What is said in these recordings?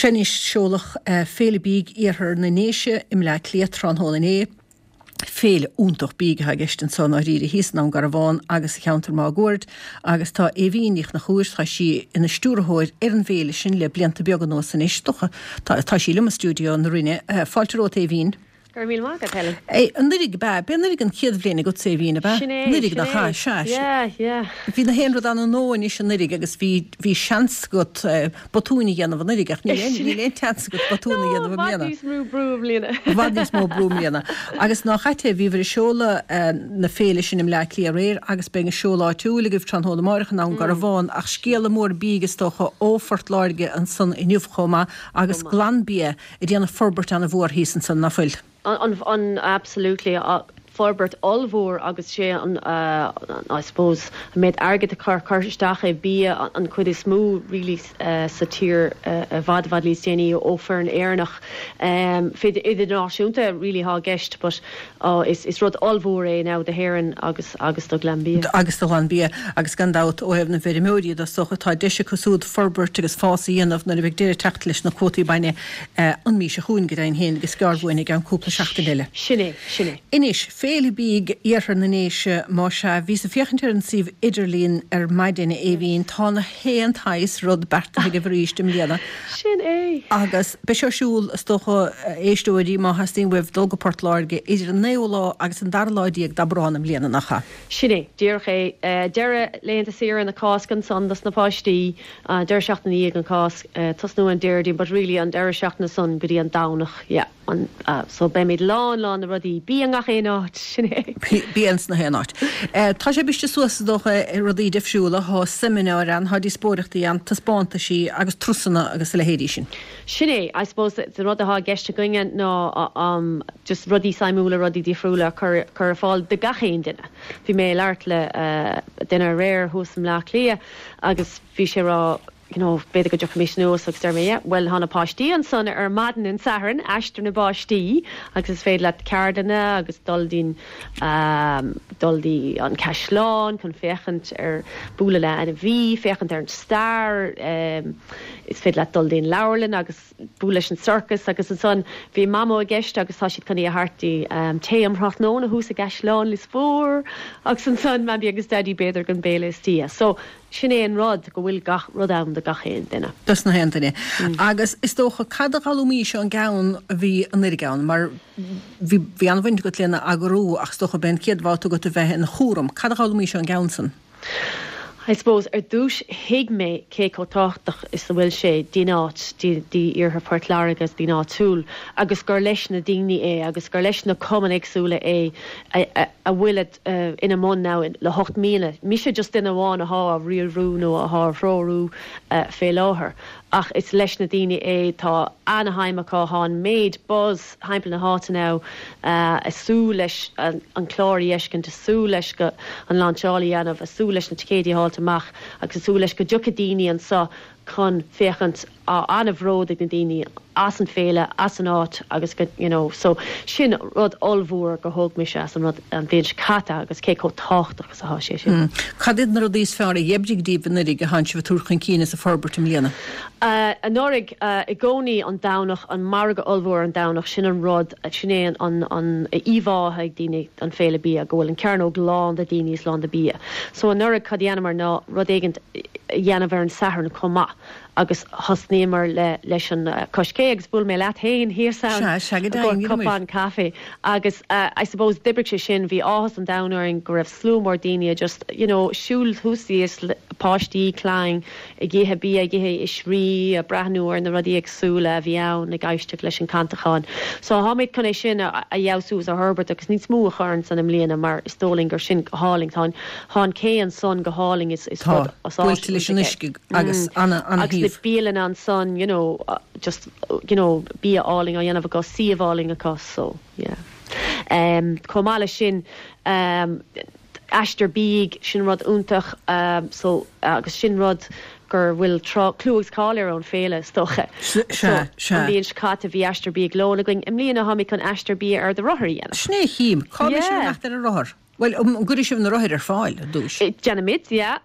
Sea anois, seoladh Féile Bídh Iarthar na nDéise i mBleá Cliath tráthnóna inné. Féile iontach bídh atá i gceist anso i ndáiríre thíos i nDún Garbhán agus sa cheantar máguaird agus tá Aoibhín Ní Chonchúir, tá sí ina stiúrthóir ar an bhféile sin le blianta beaga anuas anois, dócha. Tá sí liom i stiúideo na Rinne. Fáilte romhat Aoibhín. Go raibh míle maith agat, Helen. Anuraidh, ab ea? B'é anuraidh an chéad bhliain agatsa, Aoibhín, ab ea? Sin é, Anuraidh, sin nach é. ea? Sea, Yeah, yeah. Bhí na haon rud ann an anois anuraidh agus bhí, bhí seans agat botúin a dhéanamh anuraidh ach níl aon, níl aon tseans agat botún a No, dhéanamh i i bhfad mbliana. níos mó brú i mbliana. I bhfad níos mó brú i mbliana. Agus nách ait é, bhíobhair ag seoladh na féile sin i mBleá Cliath aréir agus beidh an seoladh áitiúil agaibh tráthnóna amáireach i nDún Garbhán ach scéala mór bídh is dócha ó Phort Láirge ansan inniu chomh maith agus Glanbia ag déanamh forbairt an-mhór thíos ansan, ná fuil? An, an, absolutely. Forbairt ollmhór agus sé an, I suppose, an méid airgid atá curtha isteach i bia an chuid is mó really sa tír i bhfad, i bhfad níos déanaí ó foireann Éireannach. Idirnáisiúnta really atá i gceist but is, is rud ollmhór é now do hÉirinn agus, agus do Ghlanbia. Agus do Ghlanbia agus gan dabht ó thaobh na bhfeirmeoirí de is dócha tá deis acu siúd forbairt agus fás a dhéanamh nuair a bheidh deireadh ag teacht leis na cuótaí bainne an mhí seo chugainn go deimhin féin agus gearr uainn i gceann cúpla seachtain eile. Sin é, sin é. Anois, Féile Bídh Iarthar na nDéise, más ea, bhíos ag féachaint ar an suíomh idirlín ar maidin, a Aoibhín, tá na haon tsaghas rud beartaithe agaibh arís i mbliana. Sin é. Agus beidh sé ar siúl, is dócha, a éisteoirí, má theastaíonn uaibh dul go Port Láirge, idir an naoú lá agus an dara lá d'Aibreán i mbliana, nach ea? Sin é, díreach é. Deireadh laethanta saoire na Cásca ansan dos na páistí, deireadh seachtaine i ndiaidh an Cásc, tosnú an Déardaoin but really an deireadh seachtaine san go dtí an Domhnach, yeah, an, so beimid lán lán de rudaí, bia i ngach aon áit, sin é. Bia ins na haon áit. Tá sé briste suas is dócha i rudaí difriúla, thá seimineáir ann, thá díospóireachtaí ann, taispeántaisí agus turasanna agus a leithéidí sin. Sin é, I suppose an rud athá i gceist againne ná just rudaí suimiúla, rudaí difriúla a chur ar fáil do gach aon duine. Bhí mé ag labhairt le duine aréir thuas i mBleá Cliath agus bhí sé ag rá you know b'fhéidir go dtiocfaimis anuas agus deir mé yeah bhuel tá na páistí ansan ar maidin an Sathairn, Aistear na bPáistí agus is féidir leat ceardlanna agus dul dtí'n dul dtí an caisleán chun féachaint ar bualadh le ainmhí, féachaint ar an stair, is féidir leat dul dtí'n leabharlann agus bualadh leis an sorcas agus ansan bhí Mamó i gceist agus tá siad chun í a thabhairt dtí tae um thráthnóna thuas i gCaisleán Lios Mhór agus ansan Mamaí agus Daidí b'fhéidir don béile istoíche. So sin é an rud go bhfuil gach rud ann do gach aon duine. Dos na haon duine. Agus is dócha cad a d'fhoghlaimís ón gceann a bhí anuraidh ann mar bhí bhí an-bhaint agat lena eagrú ach is dócha b'é an chéad bhabhta agat a bheith ina chúram. Cad a d'fhoghlaimís ón gceann san? I suppose, ar dtús thuig mé cé chomh tábhachtach is a bhfuil sé don áit, d'iarthar Phort Láirge agus don áitiúil agus gur leis na daoine é agus gur leis na cumainn éagsúla é a bhfuil ina mbun now le hocht mbliana. Mise just duine amháin athá á riarú nó athá á threorú fé láthair ach is leis na daoine é, tá ana-shuim acu, thá an méid buzz thimpeall na háite now ag súil leis an clár a fheiscint, ag súil leis go an lainseáil a dhéanamh, ag súil leis na ticéidí a fháilt amach agus ag súil leis go dtiocfaidh daoine anso chun féachaint. Tá an-bhród ag na daoine as an féile, as an áit agus go, you know, so sin rud ollmhór gur thóg mise as an rud an bhliain seo caite agus cé chomh tábhachtach is atá sé sin. Cad iad na rudaí is fearr a d'oibrigh daoibh anuraidh a thánn sibh ag tabhairt chun cinn is ag forbairt i mbliana? Anuraidh, i gcónaí an Domhnach, an margadh ollmhór an Domhnach, sin an rud, sin é an an íomhá atá ag daoine den Féile Bia, go bhfuil an cearnóg lán de daoine is lán de bia. So anuraidh cad a dhéanamar ná rud éigint a dhéanamh ar an Satharn chomh maith agus thosnaíomar le leis an Cois Cé agus bhuail mé leat féin thíos ann Sea, sea go i gcomhair deimhin, rinne muid. cupán caife agus I suppose d'oibrigh sé sin, bhí áthas an domhain orainn go raibh slua mór daoine just you know siúl thuas thíos, páistí, clainn, ag ithe bia, ag ithe oisrí, ag breathnú ar na rudaí éagsúla a bhí ann, ag éisteacht leis an cantachán. So táimid chun é sin a fheabhsú is a fhorbairt agus níos mó a chur ansan i mbliana mar is dóigh linn gur sin go hálainn. Tá an, tá an cé ansan go hálainn, is, is Tá, rud, is áis buailte leis an iontach é. uisce agus ana, ana Agus na shuíomh. bialanna ansan, you know, just, you know, bia álainn á dhéanamh acu, suíomh álainn acu, so yeah. Chomh maith leis sin, Aistear bídh, sin rud iontach so agus sin rud gur bhfuil clú agus cáil air ón féile is dócha. Sea, So sea. an bhliain seo caite bhí aistear bídh lóin againn, i mbliana táimid chun aistear bia ar do rothar a dhéanamh. Sin é a chím. Cá mbeidh sibh ag Yeah. imeacht ar an rothar? Bhuel, an gcuirfidh sibh na rothair ar fáil ar dtús? Déanfaimid, yeah.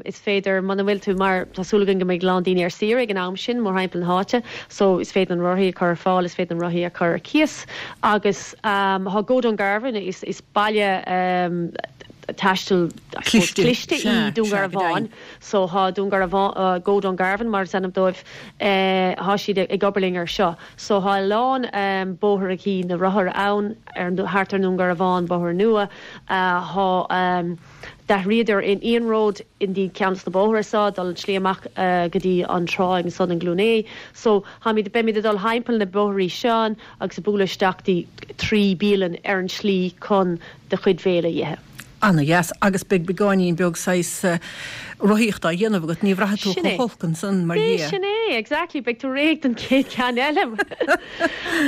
Is féidir, muna bhfuil tú, mar tá súil againn go mbeidh a lán daoine ar saoire ag an am sin, mórthimpeall na háite, so is féidir na rothaí a chur ar fáil, is féidir na rothaí a chur ar cíos. Agus tá Go Dungarvan, is baile taistil, I suppose, cliste í Dún Garbhán, so tá Dún Garbhán, Go Dungarvan mar is ainm dóibh, tá siad ag obair linn ar seo. So thá a lán bóithreachaí na rothar ann ar thart ar nDún Garbhán, bóthar nua. Thá d'athraíodar an iarnród i ndiaidh ceann dos na bóithre so, dul an tslí amach go dtí an tráigh ansan in Glún Aodh. So tháimid, beimid ag dul thimpeall na bóithrí sin agus ag bualadh isteach dtí trí bialann ar an tslí chun do chuid bhéile a dh'ithe. Ana-dheas. Agus beidh beagáinín beag saghas rothaíochta á dhéanamh agat, ní bhraithfidh tú Sin é. chomh holc ansan, mar É, dhea. sin é, exactly, beidh tú réidh don chéad cheann eile.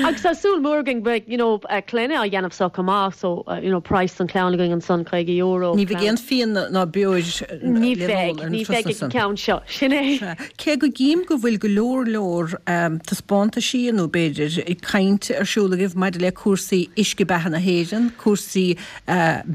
Agus tá súil mhór againn beidh, you know, clainne á dhéanamh so chomh maith, so, you know, praghas don chlann againn ansan, €50. Ní bheidh aon fíon ná beoir Ní le bheidh, n-ól ar na ní bheidh turasanna ag an san. ceann seo, sin é. Sea. Cé go gcím go bhfuil go leor leor taispeántaisí nó b'fhéidir caint ar siúl agaibh maidir le cúrsaí uisce beatha na hÉireann, cúrsaí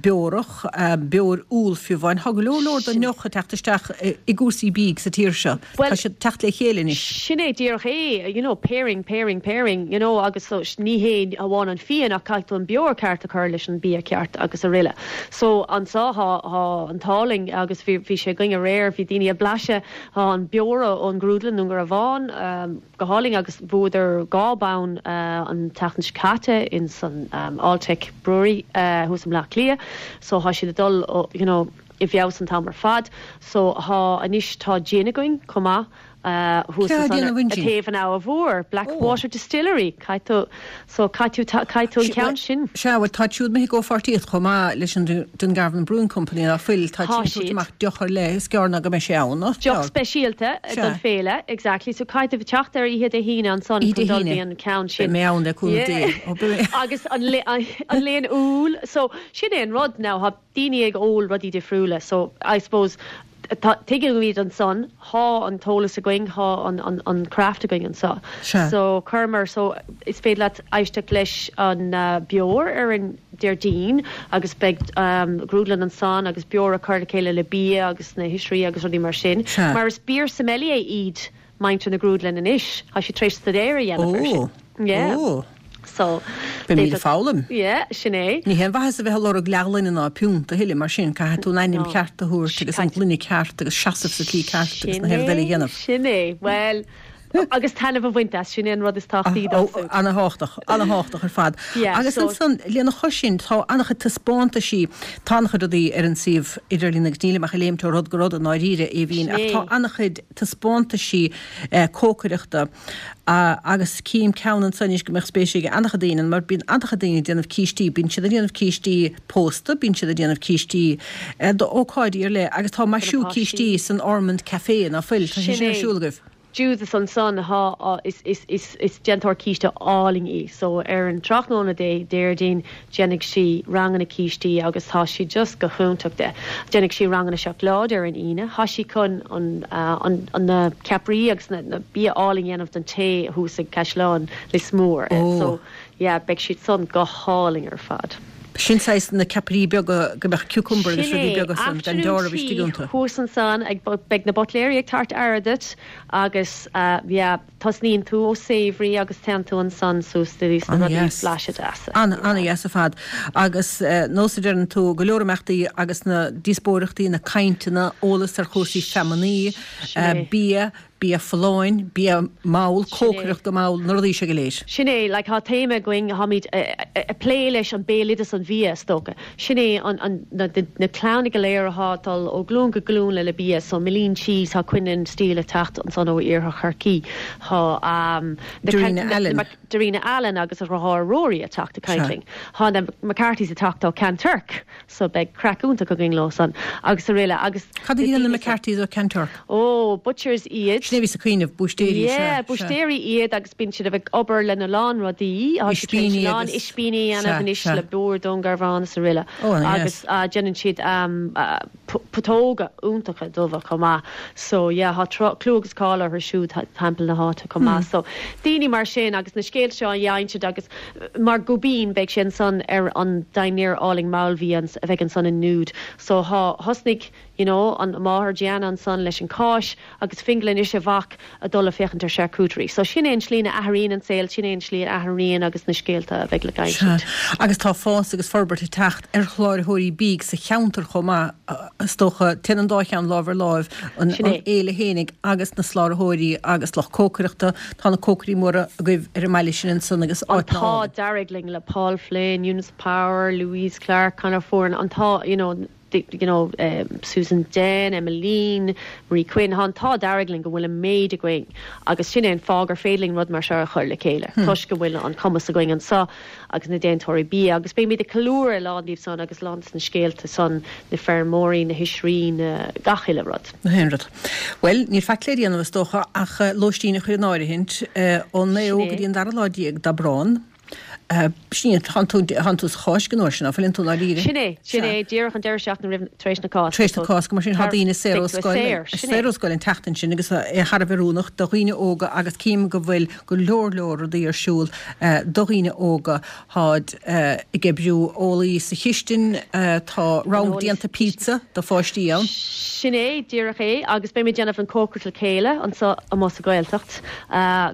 beorach, beoir úll fiú amháin. Tá go leor leor den ndeoch ag teacht isteach i gcúrsaí bídh sa tír seo. Tá siad ag teacht le chéile anois. Sin é díreach é, you know, pairing, pairing, pairing, you know, agus so ní hé amháin an fíon ach caithfidh tú an beoir ceart a chur leis an bia ceart agus araile. So anso thá, thá an t-ádh linn agus bhí, bhí sé againn aréir, bhí daoine ag blaiseadh, thá an beoir ón ghrúdlann Dún Garbhán, go hálainn agus bhuadar 2 bonn an tseachtain seo caite ins an Alltech Brewery thuas i mBleá Cliath so thá siad ag dul you know i bhfeabhas an t-am ar fad so thá anois tá gin againn chomh maith thuas Cé ansan déanamh an ar gin? taobh an Abha Mhór Blackwater Distillery caithfidh tú so caithfidh tú caithfidh tú an ceann sin. Sea bhuel táid siúd imithe i gcomhpháirtíocht chomh maith leis an Dungarvan Brewing Company ná fuil, táid Tá siad ag tabhairt siad. amach deoch ar leith, is gearr ná go mbeidh sé ann, nach Deoch gearr? speisialta don Sea. féile, exactly. So caithfidh tú teacht ar oíche Dé hAoine ansan Oíche chun Dé dul hAoine. dtí an ceann Beidh sin. mé ann le cúnamh Dé. Yeah. Ó, beidh mé. Agus an an léan úll. So sin é an rud now, tá daoine ag ól rudaí difriúla so I suppose tá, tuigimid ansan, thá an t-eolas againn, thá an, an, an craft againn anso. Sea. So chuireamar, so is féidir leat éisteacht leis an beoir ar an Déardaoin agus beidh grúdlann ansan agus beoir a chur le chéile le bia agus na hoisrí agus rudaí mar sin. Sea. Mar is beer sommelier iad muintir na grúdlainne anois. Tá siad tar éis staidéar a dhéanamh ar sin. Ó! Yeah. Ó! So, Beimid ag foghlaim. Yeah, sin é. Ní haon mhaitheas a bheith ag lorg leathghloine ná piúnt a thuilleadh, mar sin, caithfidh tú an ainm ceart a thabhairt agus an gloine ceart agus seasamh sa tslí ceart agus na rudaí eile a dhéanamh. Sin é. Bhuel, agus taitneamh a bhaint as, sin é an rud is tábhachtaí domhsa. Ana-thábhachtach, ana-thábhachtach ar fad. Yeah, Agus so. ansan, lena chois sin, tá an-chuid taispeántaisí, tá an-chuid rudaí ar an suíomh idirlín agus nílim ach ag léimt ó rud go rud i ndáiríre, a Aoibhín, ach tá an-chuid taispeántaisí cócaireachta agus cím ceann anso anois go mbeadh spéis ag an-chuid daoine ann mar bíonn an-chuid daoine ag déanamh cístí, bíonn siad ag déanamh cístí pósta, bíonn siad ag déanamh cístí d'ócáidí ar leith agus tá maisiú cístí san Ormond Café, ná fuil? Tá sé Sin sin ar é. siúl agaibh? Judith ansan thá is is is is déantóir císte álainn í so ar an tráthnóna Dé Déardaoin déanfaidh sí ranganna cístí agus tá sí just go hiontach de. Déanfaidh sí ranganna seacláide ar an Aoine. Thá sí chun an an an na ceapairí agus na na bia álainn dhéanamh don tae thuas ag Caisleán Lios Mór Ó. so yeah beidh siad san go hálainn ar fad. Sin saghas na ceapairí beaga go mbeadh cucumber agus Sin rudaí é, beaga san gan afternoon deáramh istigh tea iontu. thuas ansan ag beidh na butléirí ag tabhairt aire duit agus yeah tosnaíonn tú ó savoury agus téann tú ansan suas go dtí sna rudaí An-dheas. blaiseadh deasa. An, an-dheas ar fad. Agus nós a deireann tú, go leor imeachtaí agus na díospóireachtaí, na cainteanna, eolas ar chúrsaí feamainní, Sin é. bia, Bia folláin, bia mall, Sin é. cócaireacht go mall, na rudaí seo go léir. Sin é, like tá téama againn, táimid ag plé leis an béaloideas an bhia, is dócha. Sin é an, an, na, na clanna go léir athá ag dul ó glúin go glúin le le bia, so Milleen Cheese, tá Quinlan Steele ag teacht ansan ó Iarthar Chorcaí, tá na, Darina na, Allen. na, Darina Allen agus a dheartháir Rory ag teacht ag caint Sea. linn. Tá na McCarthy's ag teacht ó Kanturk. So beidh craic iontach againn leo san agus araile agus Cad a na dhéanann na daoine san. McCarthy's ó Kanturk? Ó, butchers iad. Sin é a bhíos ag cuimhneamh, búistéirí, sea, Yeah, sea. búistéirí iad agus bíonn siad ag obair lena lán rudaí. Tá siad tar éis Ispíní a lán agus, ispíní a dhéanamh sea, anois sea. le beoir Dún Garbhán is araile Ó, ana agus dheas. déanann siad. Putóga iontacha dubha chomh maith. So yeah, tá clú agus cáil orthu siúd timpeall na háite chomh maith. So daoine mar sin agus na scéalta seo á n-insint agus mar Gubbeen beidh sé ansan ar an dinnéar álainn mall bhí a bheidh ansan i Nude. So thá, thosnaigh you know an máthair Gianna ansan leis an cáis agus Fingal anois a mhac a dul a féachaint ar charcuterie. So sin é an slí ina athraíonn an saol, sin é an slí a athraíonn agus na scéalta a bheidh le insint. Sea. Agus tá fás agus forbairt ag teacht ar shláraitheoirí bídh sa cheantar chomh maith, is dócha. Téann an dá cheann lámh ar láimh, an fhéile fhéinig agus na sláraitheoirí agus lucht cócaireachta. Tá na cócairí móra agaibh ar an mbaile sin ansan agus áit An t-ádh dearg linn le Paul Flynn, Eunice Power, Louise Clarke, Conor Foran, an t-ádh, you know, you know, Susan Den, Emmeline, Marie Quinn, tá an t-ádh dearg linn go bhfuil an méid againn agus sin é an fáth gur féidir linn rud mar seo a chur le chéile toisc go bhfuil an cumas againn anseo agus na déantóirí bia agus beimid ag ceiliúradh a lán díobh san agus a lán de na scéalta san, na feirmeoirí, na hoisrí, na gach uile rud. Na haon rud. Bhuel, níl faic le déanamh is dócha ach lóistín a chur in áirithint ón naoú go dtí an dara lá déag d'Aibreán. Sin é, tánn tú, tánn tú sa Cháisc an uair sin, ná fuileann tú dáiríre? Sin é, sin é, díreach an deireadh seachtaine roimh, tar éis na Cásca. Tar éis na Cásca, mar sin tá daoine saor ó scoil, saor ó scoil an tseachtain sin agus é thar a bheith oiriúnach do dhaoine óga agus cím go bhfuil go leor leor rudaí ar siúl do dhaoine óga. Táid ag oibriú eolaí sa chistin, tá rang déanta pizza do pháistí ann. Sin é, díreach é, agus beimid ag déanamh an cócaireacht le chéile anseo amuigh sa Ghaeltacht.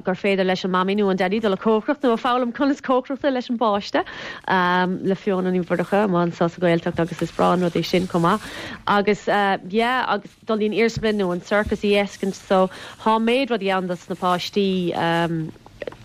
gur féidir leis an mamaí nó an daidí dul a cócaireacht nó a foghlaim conas cócaireachta leis an bpáiste le Fiona Ní Mhurchadha amuigh anseo sa Ghaeltacht agus is breá an rud é sin chomh maith. Agus yeah agus dul dtí'n iarsmalann nó an circus a fheiscint so thá méid rudaí ann dos na páistí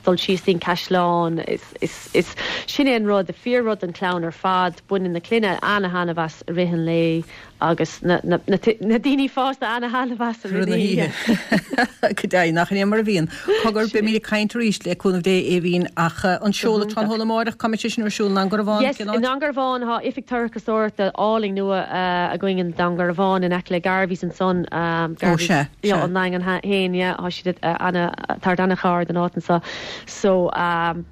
dul síos dtí'n caisleán is is is sin é an rud, fíor rud don chlann ar fad, baineann na clainne ana-thaitneamh as i rith an lae. Agus na daoine fásta ana-thaitneamh as i rith na hoíche. Go deimhin, nach in é mar a bhíonn. Cogar, beimid ag caint arís, le cúnamh Dé, a Aoibhín, ach an seoladh tráthnóna amáireach, cá mbeidh sé sin ar siúl, i nDún Garbhán? Yes, i nDún Garbhán, tá oifig turasóireachta álainn nua againn i nDún Garbhán, in aice le Garveys ansan. Ó, sea, sea. An nDaingean féin, yeah, tá siad ana, tabhairt ana-chár don áit anso. So,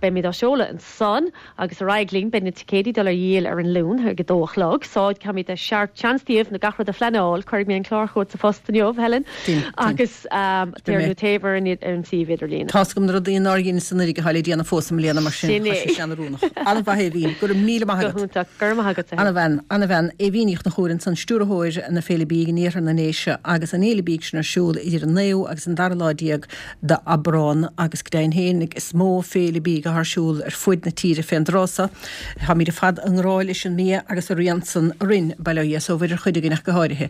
beimid á seoladh ansan. Agus ar aghaidh linn, beidh na ticéidí dul ar dhíol ar an Luan ag a dó a chlog, so caithfimid a seart seans daoibh na gach rud a phleanáil. Cuirfidh mé an clár chugat sa phost inniu, Helen, agus taobh nó taobh ar an ar an suíomh idirlín. Tá's agam na rudaí nár dheineas anuraidh atá le déanamh fós i mbliana mar sin tá sé sin oiriúnach. An-mhaith Aoibhín, go raibh míle maith agat. Go hiontach, go raibh maith agat. Ana-bhean, ana-bhean. Aoibhín Ní Chonchúir ansan, stiúrthóir na Féile Bídh in Iarthar na nDéise agus an Fhéile Bídh sin ar siúl idir an naoú agus an dara lá déag d'Aibreán agus go deimhin féin is mó féile bídh atá ar siúl ar fuaid na tíre fén dtráth so. Táimid ar fad i ngrá leis an mbia agus a rian san orainn, bail ó Dhia 's ó Mhuire ar chuid againn ach go háirithe.